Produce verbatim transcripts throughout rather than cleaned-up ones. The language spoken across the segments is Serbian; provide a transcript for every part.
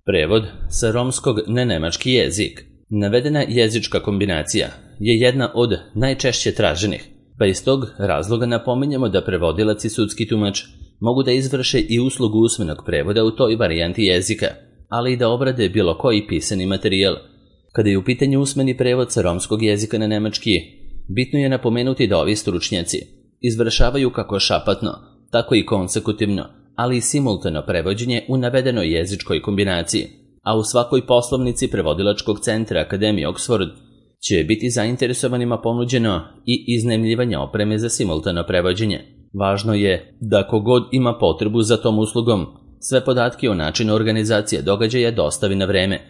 Prevod sa romskog na nemački jezik. Navedena jezička kombinacija je jedna od najčešće traženih, pa iz tog razloga napominjemo da prevodilac i sudski tumač mogu da izvrše i uslugu usmenog prevoda u toj varijanti jezika, ali i da obrade bilo koji pisani materijal. Kada je u pitanju usmeni prevod sa romskog jezika na nemački, bitno je napomenuti da ovi stručnjaci izvršavaju kako šapatno, tako i konsekutivno, ali i simultano prevođenje u navedenoj jezičkoj kombinaciji, a u svakoj poslovnici prevodilačkog centra Akademije Oxford će biti zainteresovanima ponuđeno i iznajmljivanje opreme za simultano prevođenje. Važno je da kogod ima potrebu za tom uslugom, sve podatke o načinu organizacije događaja dostavi na vreme,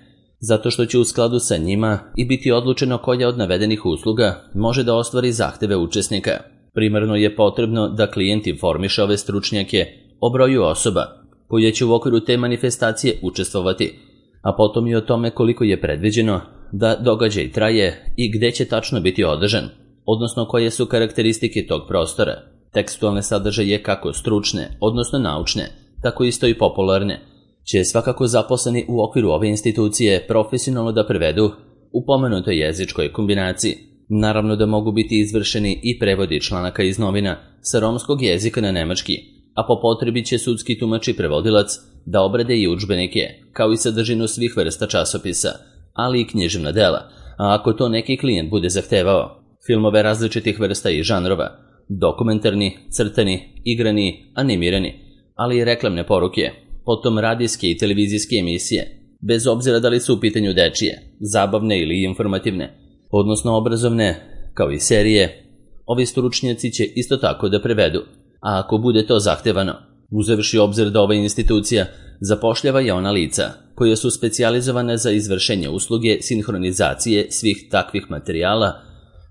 zato što će u skladu sa njima i biti odlučeno koja od navedenih usluga može da ostvari zahteve učesnika. Primarno je potrebno da klijent informiše ove stručnjake o broju osoba koje će u okviru te manifestacije učestvovati, a potom i o tome koliko je predviđeno da događaj traje i gde će tačno biti održan, odnosno koje su karakteristike tog prostora. Tekstualne sadržaje kako stručne, odnosno naučne, tako isto i popularne, će svakako zaposleni u okviru ove institucije profesionalno da prevedu u pomenutoj jezičkoj kombinaciji. Naravno da mogu biti izvršeni i prevodi članaka iz novina sa romskog jezika na nemački, a po potrebi će sudski tumač i prevodilac da obrade i udžbenike, kao i sadržinu svih vrsta časopisa, ali i književna dela, a ako to neki klijent bude zahtevao, filmove različitih vrsta i žanrova, dokumentarni, crtani, igrani, animirani, ali i reklamne poruke, potom radijske i televizijske emisije, bez obzira da li su u pitanju dečije, zabavne ili informativne, odnosno obrazovne, kao i serije, ovi stručnjaci će isto tako da prevedu, a ako bude to zahtevano, uzevši obzir da ova institucija zapošljava i ona lica koje su specijalizovane za izvršenje usluge sinhronizacije svih takvih materijala,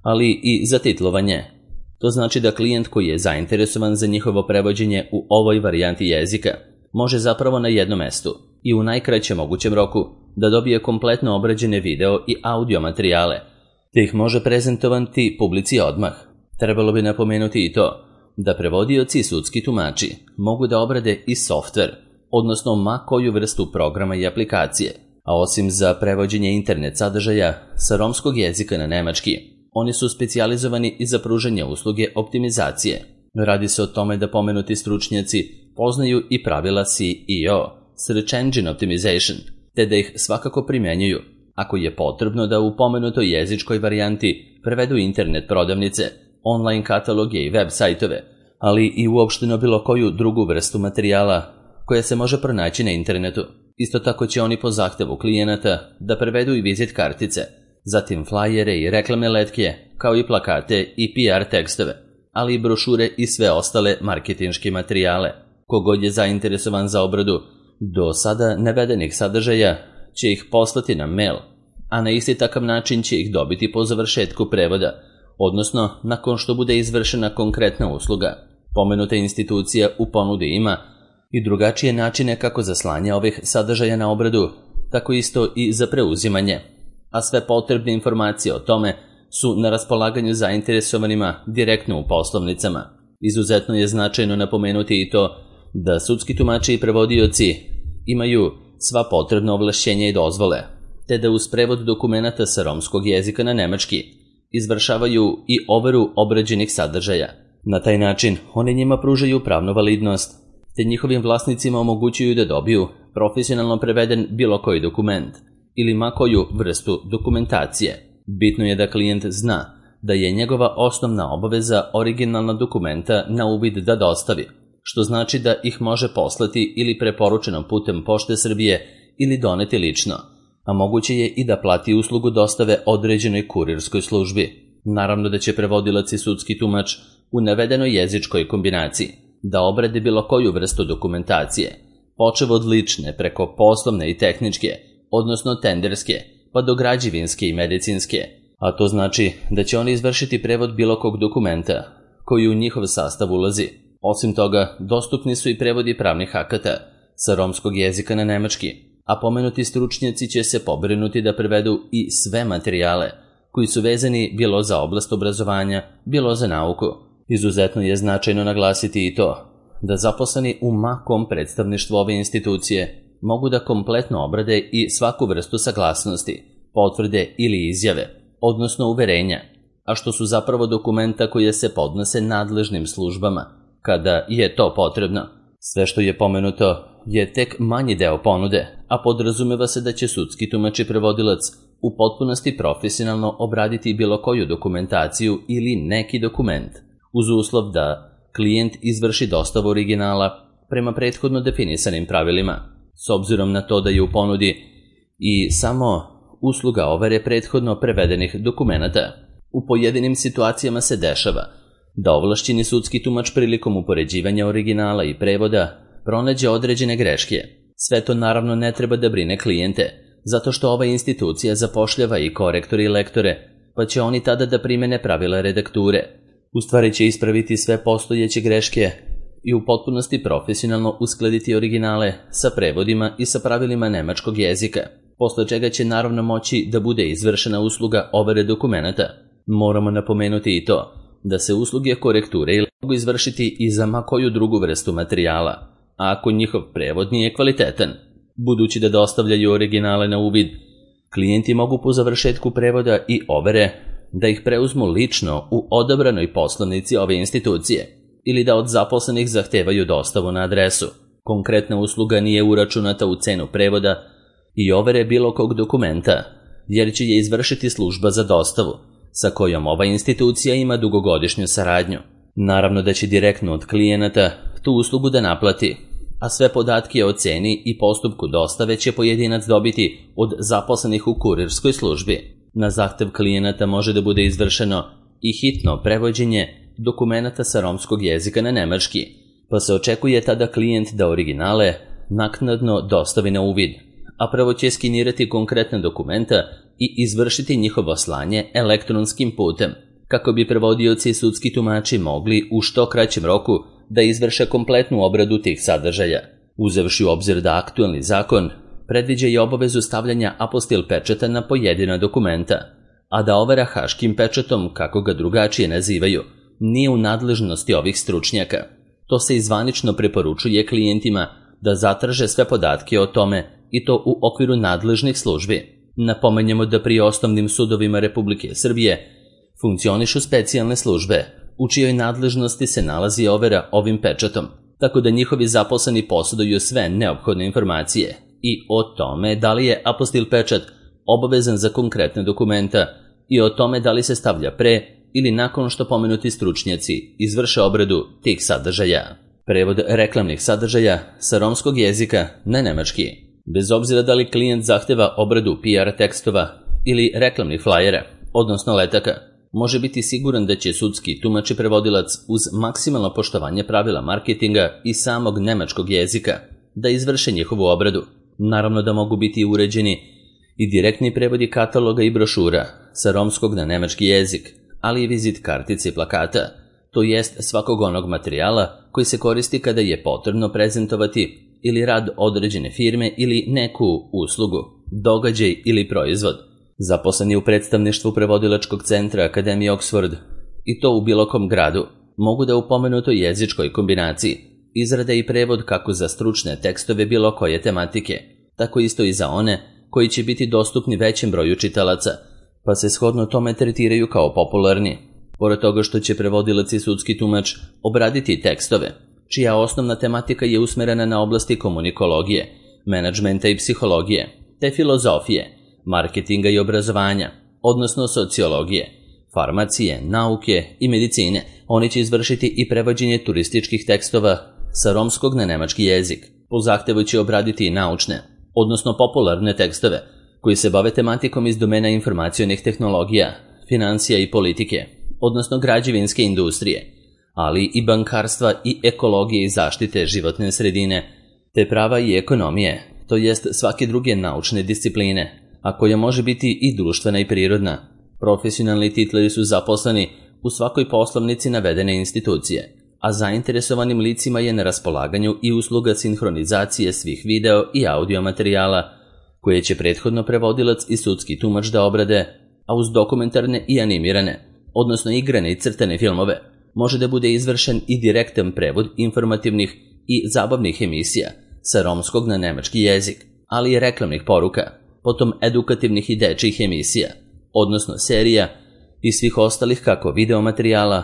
ali i za titlovanje. To znači da klijent koji je zainteresovan za njihovo prevođenje u ovoj varijanti jezika može zapravo na jednom mestu i u najkraćem mogućem roku da dobije kompletno obrađene video i audio materijale, te ih može prezentovati publici odmah. Trebalo bi napomenuti i to da prevodioci i sudski tumači mogu da obrade i softver, odnosno ma koju vrstu programa i aplikacije, a osim za prevođenje internet sadržaja sa romskog jezika na nemački, oni su specijalizovani i za pružanje usluge optimizacije. Radi se o tome da pomenuti stručnjaci poznaju i pravila S E O, Search Engine Optimization, te da ih svakako primjenjuju ako je potrebno da u pomenutoj jezičkoj varijanti prevedu internet prodavnice, online kataloge i web sajtove, ali i uopšteno bilo koju drugu vrstu materijala koja se može pronaći na internetu. Isto tako će oni po zahtevu klijenata da prevedu i vizit kartice, zatim flajere i reklamne letke, kao i plakate i P R tekstove, ali i brošure i sve ostale marketinške materijale. Kogod je zainteresovan za obradu do sada navedenih sadržaja će ih poslati na mail, a na isti takav način će ih dobiti po završetku prevoda, odnosno nakon što bude izvršena konkretna usluga. Pomenuta institucija u ponudi ima i drugačije načine kako za slanje ovih sadržaja na obradu, tako isto i za preuzimanje, a sve potrebne informacije o tome su na raspolaganju zainteresovanima direktno u poslovnicama. Izuzetno je značajno napomenuti i to da sudski tumači i prevodioci imaju sva potrebna ovlašćenja i dozvole, te da uz prevod dokumenata sa romskog jezika na nemački izvršavaju i overu obrađenih sadržaja. Na taj način oni njima pružaju pravnu validnost, te njihovim vlasnicima omogućuju da dobiju profesionalno preveden bilo koji dokument ili ma koju vrstu dokumentacije. Bitno je da klijent zna da je njegova osnovna obaveza originalna dokumenta na uvid da dostavi, što znači da ih može poslati ili preporučenom putem Pošte Srbije ili doneti lično, a moguće je i da plati uslugu dostave određenoj kurirskoj službi. Naravno da će prevodilac i sudski tumač u navedenoj jezičkoj kombinaciji da obrade bilo koju vrstu dokumentacije, počev od lične preko poslovne i tehničke, odnosno tenderske, pa do građevinske i medicinske, a to znači da će oni izvršiti prevod bilo kog dokumenta koji u njihov sastav ulazi. Osim toga, dostupni su i prevodi pravnih akata sa romskog jezika na nemački, a pomenuti stručnjaci će se pobrinuti da prevedu i sve materijale koji su vezani bilo za oblast obrazovanja, bilo za nauku. Izuzetno je značajno naglasiti i to da zaposleni u makom predstavništvu ove institucije mogu da kompletno obrade i svaku vrstu saglasnosti, potvrde ili izjave, odnosno uverenja, a što su zapravo dokumenta koje se podnose nadležnim službama, kada je to potrebno. Sve što je pomenuto je tek manji deo ponude, a podrazumeva se da će sudski tumač i prevodilac u potpunosti profesionalno obraditi bilo koju dokumentaciju ili neki dokument, uz uslov da klijent izvrši dostavu originala prema prethodno definisanim pravilima, s obzirom na to da je u ponudi i samo usluga overe prethodno prevedenih dokumenata. U pojedinim situacijama se dešava da ovlašćeni sudski tumač prilikom upoređivanja originala i prevoda pronađe određene greške. Sve to naravno ne treba da brine klijente, zato što ova institucija zapošljava i korektore i lektore, pa će oni tada da primene pravila redakture. U stvari će ispraviti sve postojeće greške i u potpunosti profesionalno uskladiti originale sa prevodima i sa pravilima nemačkog jezika, posle čega će naravno moći da bude izvršena usluga overe dokumenata. Moramo napomenuti i to da se usluge korekture mogu izvršiti i za ma koju drugu vrstu materijala, a ako njihov prevod nije kvalitetan. Budući da dostavljaju originale na uvid, klijenti mogu po završetku prevoda i overe da ih preuzmu lično u odabranoj poslovnici ove institucije ili da od zaposlenih zahtevaju dostavu na adresu. Konkretna usluga nije uračunata u cenu prevoda i overe bilo kog dokumenta, jer će je izvršiti služba za dostavu, sa kojom ova institucija ima dugogodišnju saradnju. Naravno da će direktno od klijenata tu uslugu da naplati, a sve podatke o ceni i postupku dostave će pojedinac dobiti od zaposlenih u kurirskoj službi. Na zahtev klijenata može da bude izvršeno i hitno prevođenje dokumenata sa romskog jezika na nemački, pa se očekuje tada klijent da originale naknadno dostavi na uvid, a prvo će skinirati konkretne dokumenta i izvršiti njihovo slanje elektronskim putem, kako bi prevodioci i sudski tumači mogli u što kraćem roku da izvrše kompletnu obradu tih sadržaja. Uzevši u obzir da aktuelni zakon predviđa i obavezu stavljanja apostil pečata na pojedina dokumenta, a da overa haškim pečatom, kako ga drugačije nazivaju, nije u nadležnosti ovih stručnjaka. To se i zvanično preporučuje klijentima da zatraže sve podatke o tome i to u okviru nadležnih službi. Napomenjemo da pri osnovnim sudovima Republike Srbije funkcionišu specijalne službe, u čijoj nadležnosti se nalazi overa ovim pečatom, tako da njihovi zaposleni posjeduju sve neophodne informacije i o tome da li je apostil pečat obavezan za konkretne dokumenta i o tome da li se stavlja pre ili nakon što pomenuti stručnjaci izvrše obradu tih sadržaja. Prevod reklamnih sadržaja sa romskog jezika na nemački. Bez obzira da li klijent zahteva obradu P R tekstova ili reklamnih flajera, odnosno letaka, može biti siguran da će sudski tumač i prevodilac uz maksimalno poštovanje pravila marketinga i samog nemačkog jezika da izvrše njihovu obradu. Naravno da mogu biti uređeni i direktni prevodi kataloga i brošura sa romskog na nemački jezik, ali i vizit kartice i plakata, to jest svakog onog materijala koji se koristi kada je potrebno prezentovati ili rad određene firme ili neku uslugu, događaj ili proizvod. Zaposleni u predstavništvu prevodilačkog centra Akademije Oxford, i to u bilo kom gradu, mogu da u pomenutoj jezičkoj kombinaciji izrade i prevod kako za stručne tekstove bilo koje tematike, tako isto i za one koji će biti dostupni većem broju čitalaca, pa se shodno tome tretiraju kao popularni. Pored toga što će prevodilac i sudski tumač obraditi tekstove, čija osnovna tematika je usmerena na oblasti komunikologije, menadžmenta i psihologije, te filozofije, marketinga i obrazovanja, odnosno sociologije, farmacije, nauke i medicine. Oni će izvršiti i prevođenje turističkih tekstova sa romskog na nemački jezik. Po zahtevu će obraditi i naučne, odnosno popularne tekstove, koji se bave tematikom iz domena informacionih tehnologija, financija i politike, odnosno građevinske industrije, ali i bankarstva i ekologije i zaštite životne sredine, te prava i ekonomije, to jest svake druge naučne discipline, a koja može biti i društvena i prirodna. Profesionalni titleri su zaposleni u svakoj poslovnici navedene institucije, a zainteresovanim licima je na raspolaganju i usluga sinhronizacije svih video i audio materijala, koje će prethodno prevodilac i sudski tumač da obrade, a uz dokumentarne i animirane, odnosno igrane i crtane filmove, može da bude izvršen i direktan prevod informativnih i zabavnih emisija sa romskog na nemački jezik, ali i reklamnih poruka, potom edukativnih i dečjih emisija, odnosno serija i svih ostalih kako videomaterijala,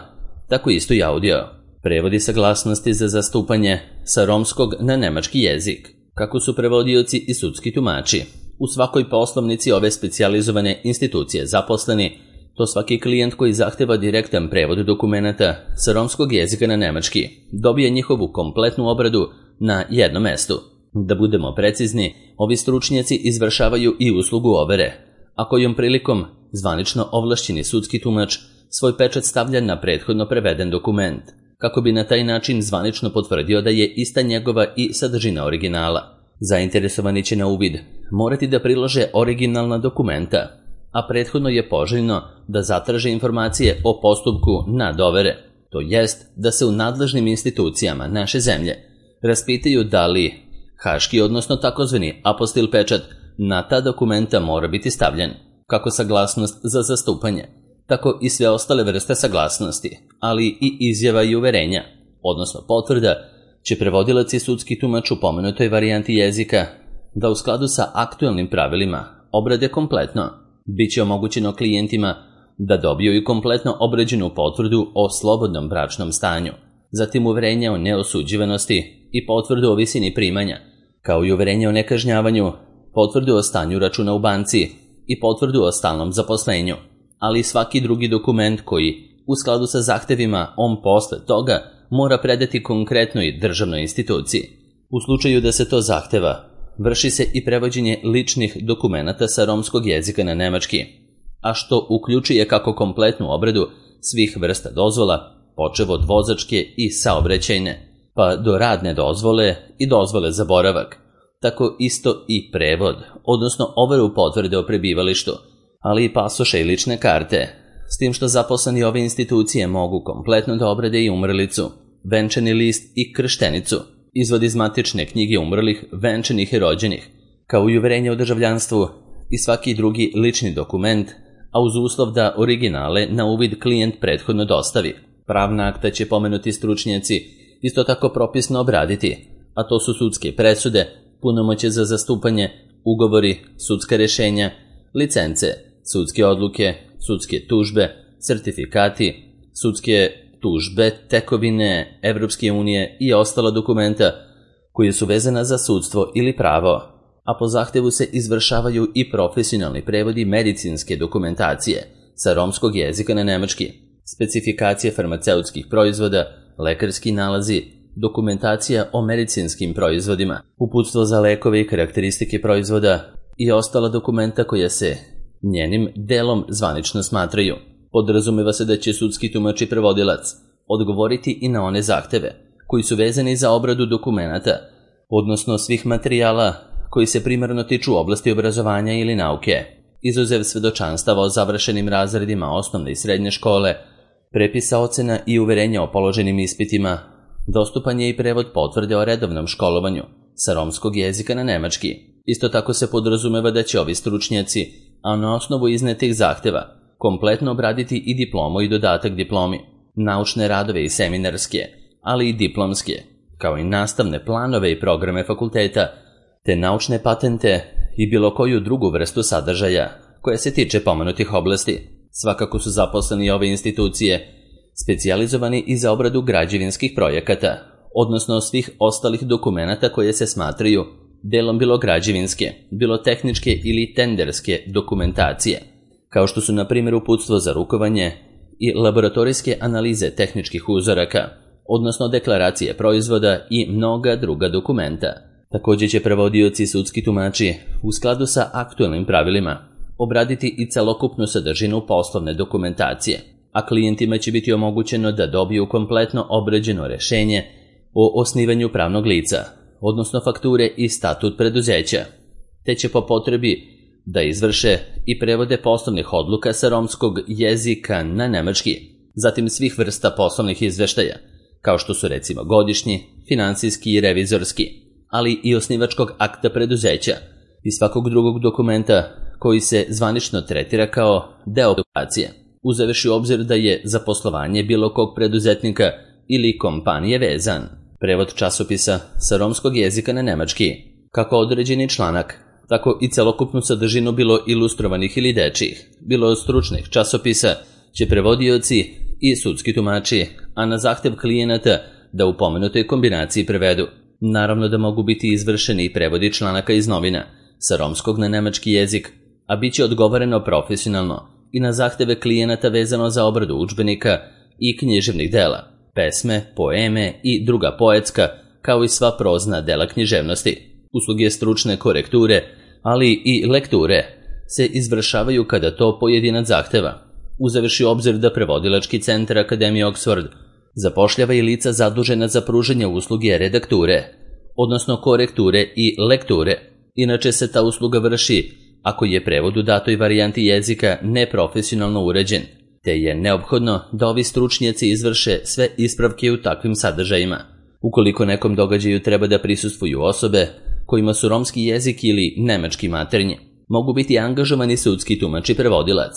tako isto i audio. Prevodi saglasnosti za zastupanje sa romskog na nemački jezik, kako su prevodioci i sudski tumači u svakoj poslovnici ove specijalizovane institucije zaposleni, to svaki klijent koji zahteva direktan prevod dokumenata sa romskog jezika na nemački dobije njihovu kompletnu obradu na jednom mestu. Da budemo precizni, ovi stručnjaci izvršavaju i uslugu overe, a kojom prilikom zvanično ovlašćeni sudski tumač svoj pečat stavlja na prethodno preveden dokument, kako bi na taj način zvanično potvrdio da je ista njegova i sadržina originala. Zainteresovani će na uvid morati da prilože originalna dokumenta, a prethodno je poželjno da zatraže informacije o postupku nadovere, to jest da se u nadležnim institucijama naše zemlje raspitaju da li haški, odnosno takozvani apostil pečat, na ta dokumenta mora biti stavljen, kako saglasnost za zastupanje, tako i sve ostale vrste saglasnosti, ali i izjava i uverenja, odnosno potvrda, će prevodilac i sudski tumač u pomenutoj varijanti jezika da u skladu sa aktuelnim pravilima obrade kompletno. Biće omogućeno klijentima da dobiju i kompletno obrađenu potvrdu o slobodnom bračnom stanju, zatim uverenje o neosuđivanosti i potvrdu o visini primanja, kao i uverenje o nekažnjavanju, potvrdu o stanju računa u banci i potvrdu o stalnom zaposlenju, ali i svaki drugi dokument koji, u skladu sa zahtevima, on posle toga mora predati konkretnoj državnoj instituciji. U slučaju da se to zahteva, vrši se i prevođenje ličnih dokumenata sa romskog jezika na nemački, a što uključuje kako kompletnu obradu svih vrsta dozvola, počev od vozačke i saobraćajne, pa do radne dozvole i dozvole za boravak, tako isto i prevod, odnosno overu potvrde o prebivalištu, ali i pasoše i lične karte, s tim što zaposleni ove institucije mogu kompletno da obrade i umrlicu, venčani list i krštenicu, izvod iz matične knjige umrlih, venčanih i rođenih, kao i uverenje o državljanstvu i svaki drugi lični dokument, a uz uslov da originale na uvid klijent prethodno dostavi. Pravna akta će pomenuti stručnjaci isto tako propisno obraditi, a to su sudske presude, punomoćje za zastupanje, ugovori, sudska rešenja, licence, sudske odluke, sudske tužbe, sertifikati, sudske tužbe, tekovine Evropske unije i ostala dokumenta koje su vezana za sudstvo ili pravo, a po zahtevu se izvršavaju i profesionalni prevodi medicinske dokumentacije sa romskog jezika na nemački, specifikacije farmaceutskih proizvoda, lekarski nalazi, dokumentacija o medicinskim proizvodima, uputstvo za lekove i karakteristike proizvoda i ostala dokumenta koja se njenim delom zvanično smatraju. Podrazumeva se da će sudski tumač i prevodilac odgovoriti i na one zahteve koji su vezani za obradu dokumenata, odnosno svih materijala koji se primarno tiču oblasti obrazovanja ili nauke, izuzev svedočanstava o završenim razredima osnovne i srednje škole, prepisa ocena i uverenja o položenim ispitima, dostupan je i prevod potvrde o redovnom školovanju sa romskog jezika na nemački. Isto tako se podrazumeva da će ovi stručnjaci, a na osnovu iznetih zahteva, kompletno obraditi i diplomu i dodatak diplomi, naučne radove i seminarske, ali i diplomske, kao i nastavne planove i programe fakulteta, te naučne patente i bilo koju drugu vrstu sadržaja koja se tiče pomenutih oblasti. Svakako su zaposleni ove institucije specijalizovani i za obradu građevinskih projekata, odnosno svih ostalih dokumenata koje se smatraju delom bilo građevinske, bilo tehničke ili tenderske dokumentacije, kao što su na primjer uputstvo za rukovanje i laboratorijske analize tehničkih uzoraka, odnosno deklaracije proizvoda i mnoga druga dokumenta. Također će prevodioci i sudski tumači u skladu sa aktuelnim pravilima obraditi i celokupnu sadržinu poslovne dokumentacije, a klijentima će biti omogućeno da dobiju kompletno obrađeno rešenje o osnivanju pravnog lica, odnosno fakture i statut preduzeća, te će po potrebi da izvrše i prevode poslovnih odluka sa romskog jezika na nemački, zatim svih vrsta poslovnih izveštaja, kao što su recimo godišnji, finansijski i revizorski, ali i osnivačkog akta preduzeća i svakog drugog dokumenta koji se zvanično tretira kao deo dokumentacije, uzevši u obzir da je za poslovanje bilo kog preduzetnika ili kompanije vezan. prevod časopisa sa romskog jezika na nemački, kako određeni članak, tako i celokupnu sadržinu bilo ilustrovanih ili dečijih, bilo od stručnih časopisa, će prevodioci i sudski tumači, a na zahtev klijenata da u pomenutoj kombinaciji prevedu. Naravno da mogu biti izvršeni i prevodi članaka iz novina sa romskog na nemački jezik, a bit će odgovoreno profesionalno i na zahteve klijenata vezano za obradu udžbenika i književnih dela, pesme, poeme i druga poetska, kao i sva prozna dela književnosti. Usluge stručne korekture, ali i lekture se izvršavaju kada to pojedinac zahteva. Uzevši obzir da prevodilački centar Akademije Oxford zapošljava i lica zadužena za pružanje usluge redakture, odnosno korekture i lekture. Inače se ta usluga vrši ako je prevod u datoj varijanti jezika neprofesionalno uređen, te je neophodno da ovi stručnjaci izvrše sve ispravke u takvim sadržajima. Ukoliko nekom događaju treba da prisustvuju osobe kojima su romski jezik ili nemački maternji, mogu biti angažovani sudski tumač i prevodilac,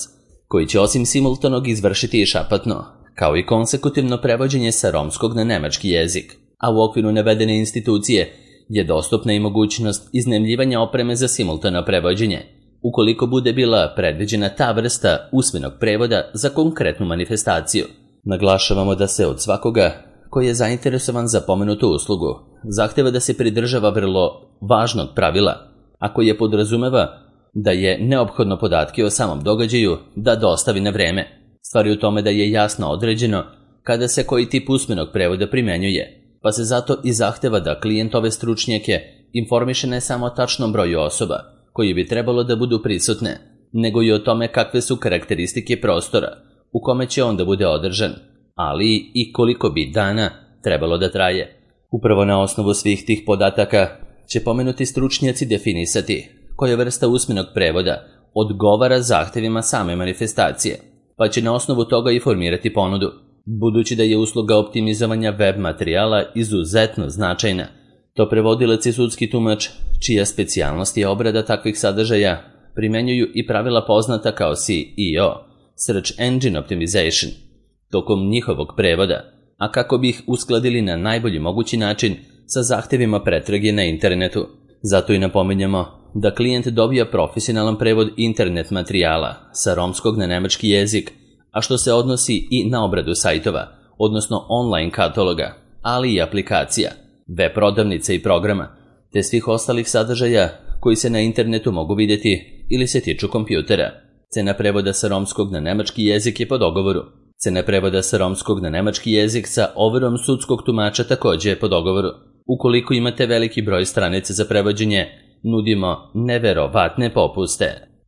koji će osim simultanog izvršiti i šapatno, kao i konsekutivno prevođenje sa romskog na nemački jezik, a u okviru navedene institucije je dostupna i mogućnost iznajmljivanja opreme za simultano prevođenje, ukoliko bude bila predviđena ta vrsta usmenog prevoda za konkretnu manifestaciju. Naglašavamo da se od svakoga koji je zainteresovan za pomenutu uslugu zahteva da se pridržava vrlo važnog pravila, a koje podrazumeva da je neophodno podatke o samom događaju da dostavi na vreme. Stvar je u tome da je jasno određeno kada se koji tip usmenog prevoda primenjuje, pa se zato i zahteva da klijent ove stručnjake informiše ne samo o tačnom broju osoba koji bi trebalo da budu prisutne, nego i o tome kakve su karakteristike prostora u kome će on da bude održan, ali i koliko bi dana trebalo da traje. Upravo na osnovu svih tih podataka će pomenuti stručnjaci definisati koja vrsta usmenog prevoda odgovara zahtevima same manifestacije, pa će na osnovu toga i formirati ponudu. Budući da je usluga optimizovanja web materijala izuzetno značajna, to prevodilac i sudski tumač, čija specijalnost je obrada takvih sadržaja, primenjuju i pravila poznata kao S E O, Search Engine Optimization, tokom njihovog prevoda, a kako bi ih uskladili na najbolji mogući način sa zahtevima pretrage na internetu. Zato i napominjamo da klijent dobija profesionalan prevod internet materijala sa romskog na nemački jezik, a što se odnosi i na obradu sajtova, odnosno online kataloga, ali i aplikacija, web prodavnica i programa, te svih ostalih sadržaja koji se na internetu mogu vidjeti ili se tiču kompjutera. Cena prevoda sa romskog na nemački jezik je po dogovoru. Cena prevoda sa romskog na nemački jezik sa overom sudskog tumača također je po dogovoru. Ukoliko imate veliki broj stranica za prevođenje, nudimo neverovatne popuste.